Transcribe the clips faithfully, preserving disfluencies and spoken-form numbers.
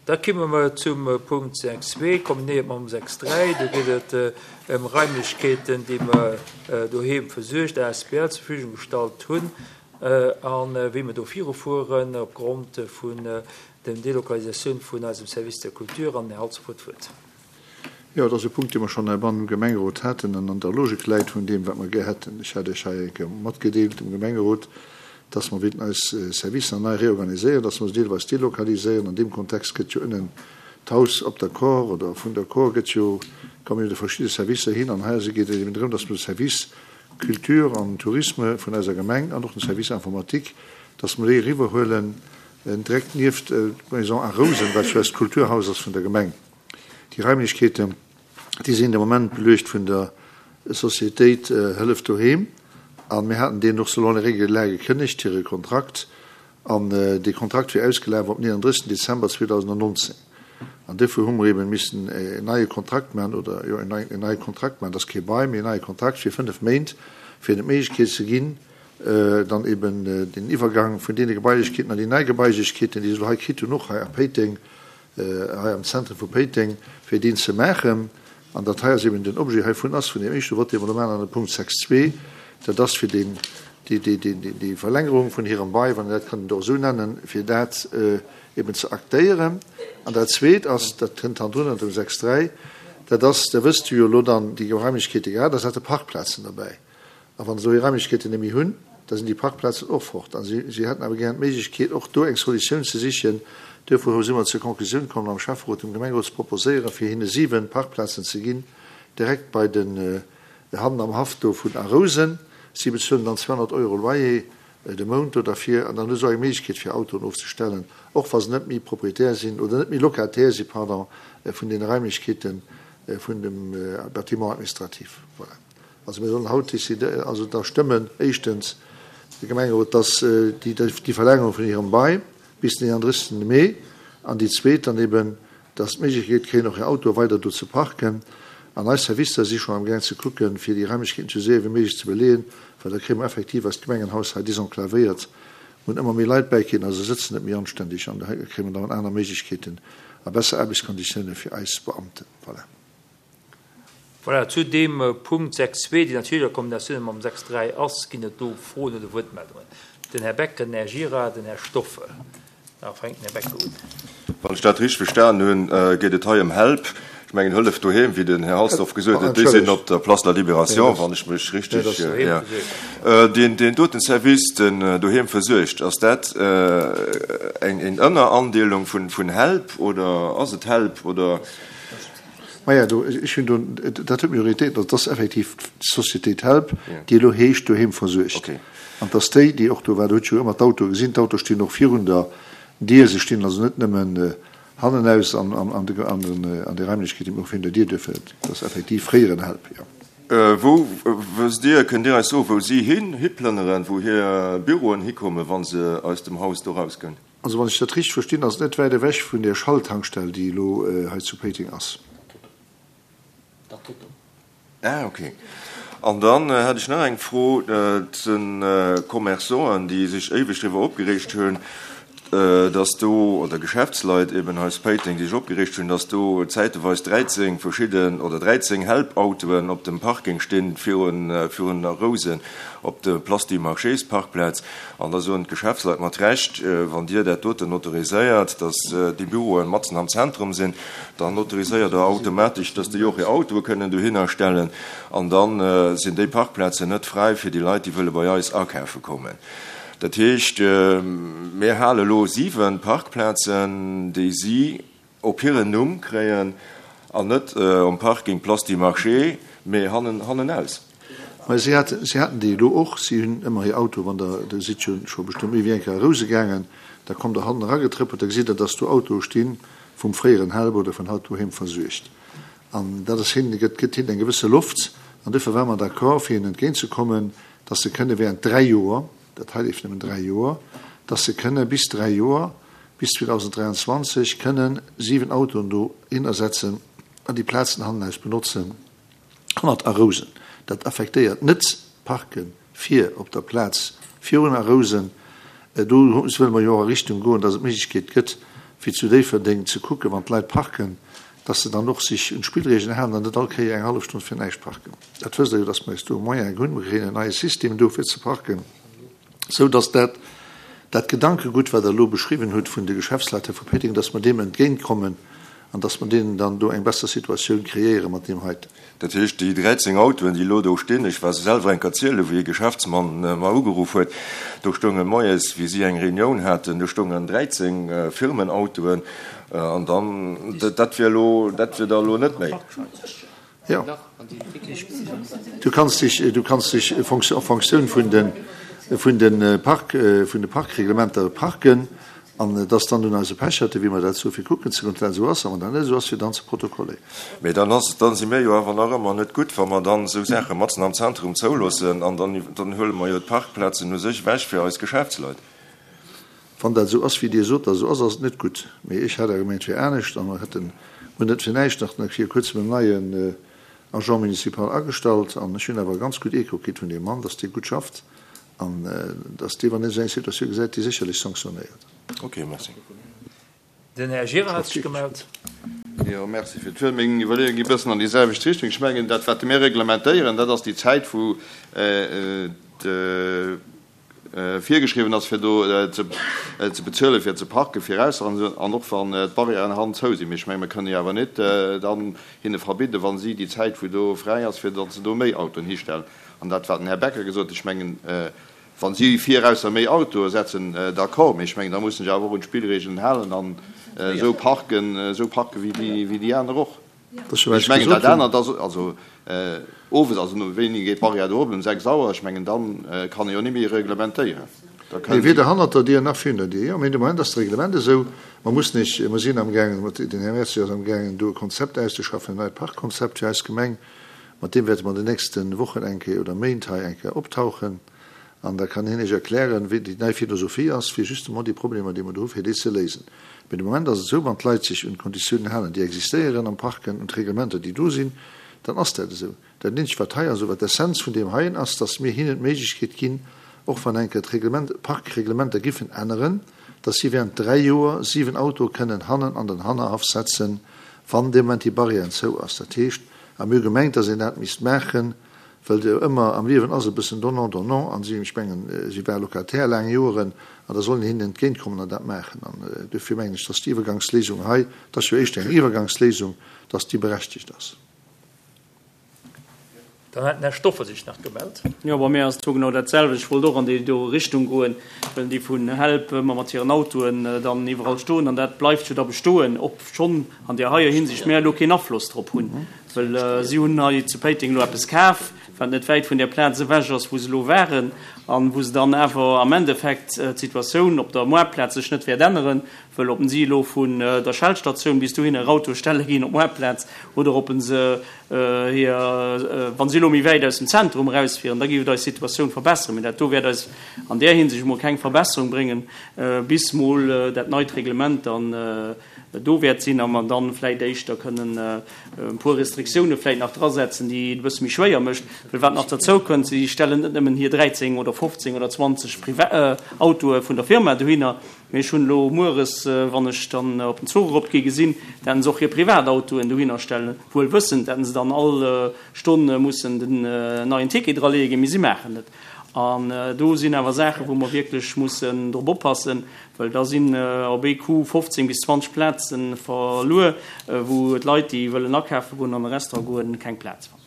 Da komme mer zum Punkt sechs zwee, kombinéiert mam sechs dräi. Do geet et ëm Raimlechkeeten, déi mer doheem versuergt A S B L zur Verfügung gestallt hunn, an wéi mer do virufueren opgrond vun der Delokalisatioun vun eisem Service der Kultur. An den Här Halsdorf huet d'Wuert. Jo, dat ass e Punkt, dee mer schonn heibannen im Gemengerot haten an an der Logik läit vun deem, wat mer gär hätten. Ech hat Iech hei eng Kéier matgedeelt dem Gemengerot, dass mer wéilten eis Servicer nei reorganiséieren, dass mer se deelweis delokaliséieren. An deem Kontext gëtt jo ënnen d'Haus op der Kor oder vun der Kor gëtt jo, kommen jo de verschiedene Servicer hin. An hei geet et eben drëm, dass mer de Service Culture an Tourisme vun eiser Gemeng an och den Service Informatique, dass mer déi eriwwerhuelen, direkt nieft d'Maison à Rousen, wat jo eist Kulturhaus ass vun der Gemeng. Déi Raimlechkeeten, déi sinn de Moment beluecht vun der Sociétéit Hëllef doheem. An mir haten deen och selon les règles de l'art gekënnegt, hire Kontrakt. An dee Kontrakt wier ausgelaf op neununddrëssigsten Dezember zweitausendneunzehn. An dofir hu mer eben missen en neie Kontrakt machen, oder, jo, en neien, en neie Kontrakt machen, das ist kein Bail, mee en neie Kontrakt fir fënnef Méint, fir die Méiglechkeet ze ginn, äh, dann eben, äh, den Iwwergang vun deene Gebailechkeeten an déi nei Gebailechkeeten, déi se hei kritt hunn, och hei a Péiteng, äh, hei am Zentrum vu Péiteng, fir deen ze maachen. An dat hei ass eben den Objet heivun ass, vun dem éischte Wort, dee mer do machen, an dem Punkt sechs zwee, dat ass fir den, die, die, die, die, die Verlängerung vun hirem Bail, wann dat kann doch so nennen, fir dat, äh, eben ze aktéieren. An dat zweet ass, dat kënnt dann drunner, dem sechs dräi, dat ass, da wësst du jo lo dann die Geräumlichkeete gehabt, da sind Parkplätze dabei. A wann so die Räumlichkeete nämlich hunn, da sind die Parkplätze och fort. An sie, sie hätten awer gern d'Méiglechkeet, och do eng Solutioun ze sichen. Dofir sind wir zur Konklusioun kommen, am Schäfferot dem Gemengerot zu proposéieren, fir hinne sieben Parkplätze ze ginn, direkt bei den, äh, Hannen am Haff do vun Arousen. Sie bezahlen dann zweihundert Euro Loyer, äh, de Mount oder dafür, an dann ist auch eine Möglichkeit für Autoen aufzustellen, auch was nicht mehr Proprietär sind oder nicht mehr Lokatär sind, pardon, äh, von den Räumlichkeiten, äh, von dem, äh, Bâtiment administratif. Voilà. Also wir sollen heute décider, also da stimmen erstens die Gemeinderat, dass, äh, die, die Verlängerung von ihrem Bail bis den dreiunddreißigsten Mai, an die zweite dann eben, dass die Möglichkeit kriegen, noch ihr Auto weiter dort zu parken. An eis Servicer si schon am Gang zu gucken, fir die Räumlichkeiten zu sehen, wie möglich zu belegen, weil da kriegen wir effektiv als Gemengenhaus halt desenklaviert und immer mehr Leute beigehen, also sitzen nicht mehr anständig, und da kriegen wir dann andere Möglichkeiten, a besser Arbeitskonditionen für eis Beamte. Voilà. Voilà, zu dem, äh, Punkt sechs zwei, die natürlich eine Kombination mit dem sechs drei ass, ginn et do Froen oder Wuertmeldungen. Den Herr Becker, den Herr Gira, den Herr Stoffel. Da fängt den Herr Becker an. Wann ich dat richtig verstanden hun, äh, geht et hei um Help. Ich meine, Hëllef doheem, wie den Herr Halsdorf gesagt hat, die sind op der Place de la Libération, wann ich mich richtig, Ja, das äh, ja. Äh, den, den doten Service, den, äh, doheem versuergt, ass dat, äh, eng, eng Ënnerandeelung vun, vun Help oder ass et Help oder? Maja, du, ich finde, du, dat huet Prioritéit, dat ass effektiv d'Société Help, Ja. déi elo heescht doheem versuergt. Okay. An dass déi, déi och do war, do huet jo ëmmer d'Auto gesinn, d'Auto stinn och virun der Dier, se stinn also net nëmmen, äh, hannen aus an, an, an de, an den, äh, an der Räumlichkeet, déi och virun der Dier dürfen. Das ist effektiv fréieren Help, ja. Äh, wo, wësst Dir, könnt Dir eis so, wo Sie hin, hiplënneren, wo hir Büroen hikommen, wann se aus dem Haus do rausgehen? Also, wann ich dat richtig verstehe, ass net weit ewech vun der Schalltankstell, déi lo, äh, hei zu Péiteng ass. Ah, okay. An dann, äh, hätte ich noch eng Fro, äh, zu den, äh, Commerçanten, die sich ewig darüber aufgeregt haben, äh, dass do, oder Geschäftsleit eben aus Péiteng, die sich aufgeregt haben, dass do zeitweise dreizehn verschiedene oder dreizehn Help-Autoen op dem Parking stehen für ein, äh, für ein Rosen op der Place du Marchés Parkplatz. An da so ein Geschäftsleit mat recht, äh, wann dir dat doten autoriséiert, dass, äh, die Büroen matzen am Zentrum sind, dann autoriséiert er automatisch, dass die auch ihr Auto können do hinstellen. An dann, äh, sind die Parkplätze net frei für die Leute, die wollen bei eis ankaufen kommen. Dat heescht, äh, mir hale lo sieben Parkplätze, déi sie op hiren Numm kréien, an net, äh, um Parking Place du Marché, mee hannen, hannen aus. Weil sie hatten, sie hatten die lo och, sie hunn ëmmer hir Auto, wann der, der sieht schon, schon bestimmt méi wéi eng Kéier Rose gaangen, da kommt der hannen ragetrëppelt, da gesieht er, dass du Auto stehen vum fréieren Help oder vun haut doheem versuergt. An dat ass hin, gëtt, gëtt hin eng gewisse Luft, an dofir war man d'accord, fir ihnen entgegenzukommen, dass sie kënne während drei Joer, dat heißt nëmmen drei Joer, dass sie kënne bis drei Joer, bis zweitausenddreiundzwanzig, kënnen sieben Autoen do hinersetzen an die Plazen hannen benutzen, hannert Arousen. Dat affektéiert net Parken fir op der Plaz virun Arousen. Äh, do wëlle mer jo a Richtung goen, dass et Méiglechkeet gëtt, wéi zu Déifferdeng, ze kucken, wann d'Leit parken, dass se dann och sech un d'Spillregeln halen an net all Kéier eng hallef Stonn fir näischt parken. Dat wësst Der jo, dass mer eis do e Moyen hunn. Mer kréien en neie System do fir ze parken, sou dass dat dat Gedankegutt, wat Der elo beschriwwen hutt vun de Geschäftsleit hei vu Péiteng, dass mer deem entgéintkommen an dass mer deenen dann do eng besser Situatioun kreéiere mat deem heiten. Dat heescht, déi dräizéng Autoen, déi elo do stinn, ech war se selwer eng Kéier zielen, wéi e Geschäftsmann mer ugeruff huet, do stounge moies, wéi si eng Reunioun haten, do stoungen dräizéng Firmenautoen an dann, dat wier elo, dat wier da elo net méi. Jo, du kanns dech, du kanns dech en fonction vun de, vun de Park, vun de Parkreglementer parken. An et ass dann un eise Pecherte, wéi mer dat soe fir kucken ze goen, ob dat esou ass, a wann dat net esou ass, fir dann ze protokolléieren. Mee dann ass, dann si mir jo awer nach ëmmer net gutt, wa mer dann esou Saache matzen am Zentrum zouloossen, an dann, dann huele mer jo d'Parkplazen u sech ewech fir eis Geschäftsleit. Wann dat esou ass, wéi Dir sot, datt et esou ass, ass et net gutt. Mee ech hat awer gemengt, et wier anescht, a mer hätten, hunn net fir näischt nach viru kuerzem en neien Agent municipal agestallt, an ech hunn awer e ganz gutt Echo kritt vun deem Mann, datt dee gutt schafft. An dass dee, wann hien esou eng Situatioun gesäit, déi sécherlech sanktionéiert. Ok, merci. Den Här Gira hat sech gemellt. Jo, merci fir d'Wuert. Meng Iwwerleeung gi bëssen an déi selwecht Richtung. Ech mengen, dat, wat mir reglementéieren, dat ass déi Zäit, wou et virgeschriwwen ass, fir do ze bezuelen, fir ze parken, viraus an och wann d'Barrièren hannen zou sinn. Mee ech mengen, mir kënnen jo awer net dann hinne verbidden, wa si déi Zäit, wou do fräi ass, fir datt se do méi Autoen histellen. An dat, wat den Här Becker gesot huet, ech mengen, wa si virausser méi Autoe setzen, d'accord, mee ech mengen, da mussen sech awer och un d'Spillregeln halen an esou parken, esou parken wéi déi aner och. Ech mengen, dat anert ass, also owes, also no wéini geet d'Barrière do op? Um sechs Auer? Ech mengen, da kann ee jo net méi reglementéieren. Da kënnen. Mee weder hannert der Dier nach virun der Dier. Jo, mee de Moment ass d'Reglement esou. Mer mussen ech, mer sinn amgaangen, den Här Mercier ass amgaangen, do e Konzept auszeschaffen, en neit Parkkonzept fir eis Gemeng. Mat deem wäerte mer an den nächste Wochen eng Kéier oder Méint hei eng Kéier optauchen an da kann hien Iech erklären, wéi déi nei Philosophie ass, fir justement déi Problemer, déi mer do hu, fir déi ze léisen. Mee de Moment ass et esou, wann d'Leit sech un d'Konditiounen halen, déi existéieren am Parken, un d'Reglementer, déi do sinn, dann ass dat esou. Dat eenzegt, wat hei ass, oder wat d'Essenz vun deem heien ass, dass mir hinnen d'Méiglechkeet ginn, och wann eng Kéier d'Reglement, d'Parkreglementer giffen änneren, dass si während dräi Joer siwen Autoe kënnen hannen an den Hannerhaff setzen, wann dee Moment déi Barrière zou ass. Dat heescht, A mir hu gemengt, datt een dat misst maachen, well et jo ëmmer am Liewen ass e bëssen donnant, donnant. An si, ech mengen, si war Locataire laang Joeren, an da soll een hinnen entgéintkommen an dat maachen. An duerfir mengen ech, datt déi Iwwergangsléisung hei, et ass jo éischter eng Iwwergangsléisung, datt déi berechtigt ass. Dann hat den Här Stoffer sech nach gemellt. Jo, bei mir ass et genau dat selwecht. Ech wollt och an déi do Richtung goen, well déi vun Help ëmmer mat hiren Autoen dann iwwerall stoen an dat bleift jo da bestoen, obschonn an där heier Hinsicht mär elo keen Afloss drop hunn, well si hunn hei zu Péiteng elo eppes kaf, wat net wäit vun där Plaz ewech ass, wou se elo waren an wou se dann awer am Endeffekt d'Situatioun op der Moartplaz sech net wäert änneren, well ob si elo vun der Shell-Statioun bis dohinner e Auto stelle ginn op d'Moartplaz oder ob se hir, wa si elo méi wäit aus dem Zentrum erausfieren, da géif et eis Situatioun verbesseren. Mee dat do wäert eis an där Hinsicht emol keng Verbesserung bréngen, bis mol dat neit Reglement dann do wäert sinn a mer dann vläicht éischter kënnen e puer Restriktioune vläicht nach drasetzen, déi et e bësse méi schwéier mécht. Well wat nach derzou kënnt, si stellen net nëmmen hir dräizéng oder fofzéng oder zwanzeg Autoe vun der Firma dohinner, mee ech hunn elo mueres, wann ech dann op den Zuch eropgi gesinn, datt se och hir Privatautoen dohinner stellen, wuel wëssend, datt se dann all Stonn mussen den neien Ticket draleeë ginn, mee si maachen et. An do sinn awer Saachen, wou mer wierklech mussen drop oppassen, well da sinn op ee Coup fofzéng bis zwanzeg Plaze verluer, wou d'Leit, déi wëllen akafe goen, an e Restaurant goen, keng Plaz fannen.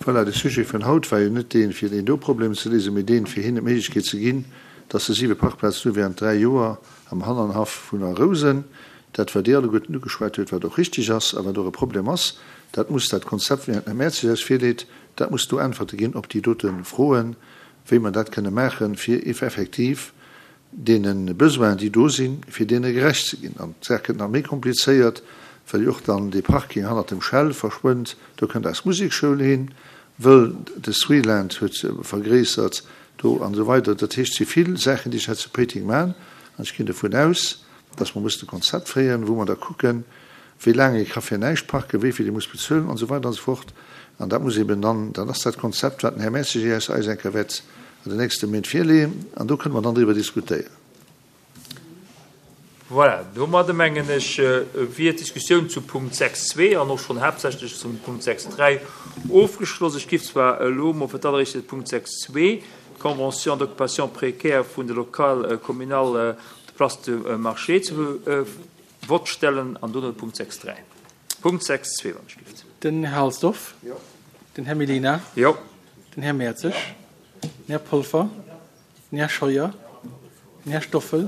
Voilà, de Sujet vun haut war jo net deen, fir deen do Problem ze léisen, mee deen, fir hinnen d'Méiglechkeet ze ginn, dass se siwe Parkplazen hu während dräi Joer am Hannernhaff vun A Rousen. Dat, wat Dir alleguerten ugeschwat huet, wat och richtig ass a wat och e Problem ass, dat muss dat Konzept, wéi den Här Mertzig eis virleet, dat muss do Äntwerte ginn op déi dote Froen, wéi mer dat kënne maachen, fir effektiv deene Besoinen, déi do sinn, fir deene gerecht ze ginn. An d'Saach gëtt nach méi komplizéiert, well jo och dann dee Parking hannert dem Shell verschwënnt. Do kënnt eis Musekschoul hin, wëll de Sweeland huet vergréissert do an esou weider. Dat heescht, et si vill Saachen, déi sech hei zu Péiteng maachen. An ech ginn dovun aus, dass mer mussen e Konzept féieren, wou mer da kucken, wéi laang ee ka fir näischt parken, wéi vill ee muss bezuelen an esou weider an esou fort. An dat muss eben dann, dat ass dat Konzept, wat den Här Mercier eis eng Kéier wäert an den nächste Méint virleeën. An do kënne mer dann driwwer diskutéieren. Voilà, domadder mengen ech, wier d'Diskussioun zu Punkt sechs zwee an och schonn haaptsächlech zum Punkt sechs dräi ofgeschloss. Ech giff zwar elo mol fir d'alleréischt de Punkt sechs zwee, d'Convention d'occupation précaire vun de Locales communales op der Place du Marché, zu Vott stellen an dono de Punkt sechs dräi. Punkt sechs zwee, wann ech giff. Den Här Halsdorf. Jo. Den Här Mellina. Jo. Den Här Mertzig. Den Här Polfer. Den Här Scheuer. Den Här Stoffel.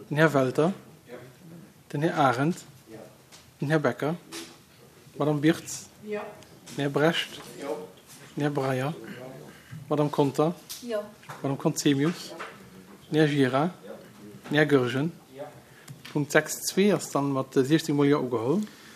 Den Här Welter. Den Här Arendt. Den Här Becker. D'Madame Birtz. Den Här Brecht. Den Här Breyer. D'Madame Conter. D'Madame Conzemius. Den Här Gira. Den Här Goergen. Punkt sechs zwee ass dann mat siechzéng mol Jo ugeholl.